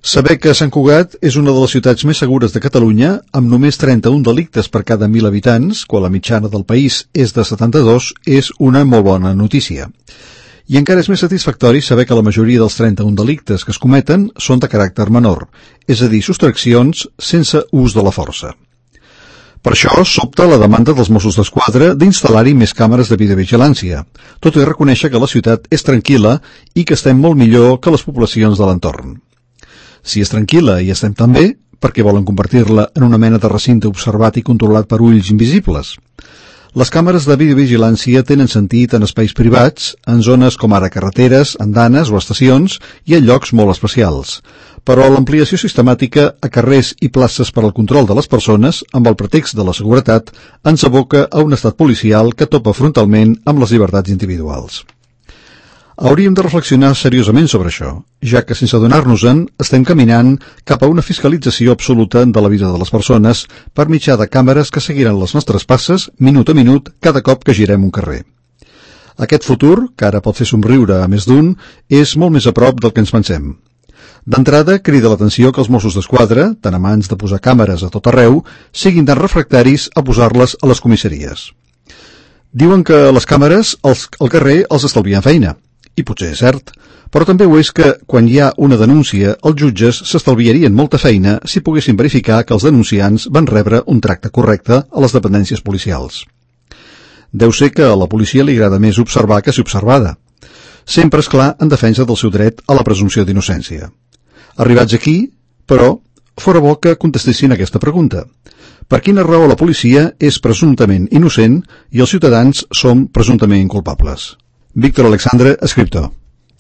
Saber que Sant Cugat és una de les ciutats més segures de Catalunya, amb només 31 delictes per cada 1.000 habitants, quan la mitjana del país és de 72, és una molt bona notícia. I encara és més satisfactori saber que la majoria dels 31 delictes que es cometen són de caràcter menor, és a dir, sostraccions sense ús de la força. Per això sobta la demanda dels Mossos d'Esquadra d'instal·lar-hi més càmeres de videovigilància, tot i reconèixer que la ciutat és tranquil·la i que estem molt millor que les poblacions de l'entorn. Si és tranquil·la i estem tan bé, per què volen convertir-la en una mena de recinte observat i controlat per ulls invisibles? Les càmeres de videovigilància tenen sentit en espais privats, en zones com ara carreteres, andanes o estacions i en llocs molt especials. Però l'ampliació sistemàtica a carrers i places per al control de les persones, amb el pretext de la seguretat, ens aboca a un estat policial que topa frontalment amb les llibertats individuals. Hauríem de reflexionar seriosament sobre això, ja que sense adonar-nos-en estem caminant cap a una fiscalització absoluta de la vida de les persones per mitjà de càmeres que seguiran les nostres passes minut a minut cada cop que girem un carrer. Aquest futur, que ara pot fer somriure a més d'un, és molt més a prop del que ens pensem. D'entrada, crida l'atenció que els Mossos d'Esquadra, tan amants de posar càmeres a tot arreu, siguin tan refractaris a posar-les a les comissaries. Diuen que les càmeres al carrer els estalvien feina. I potser és cert, però també ho és que, quan hi ha una denúncia, els jutges s'estalviarien molta feina si poguessin verificar que els denunciants van rebre un tracte correcte a les dependències policials. Deu ser que a la policia li agrada més observar que ser observada. Sempre, és clar, en defensa del seu dret a la presumpció d'innocència. Arribats aquí, però, fora bo que contestessin aquesta pregunta. Per quina raó la policia és presumptament innocent i els ciutadans som presumptament inculpables? Víctor Alexandre, escriptor.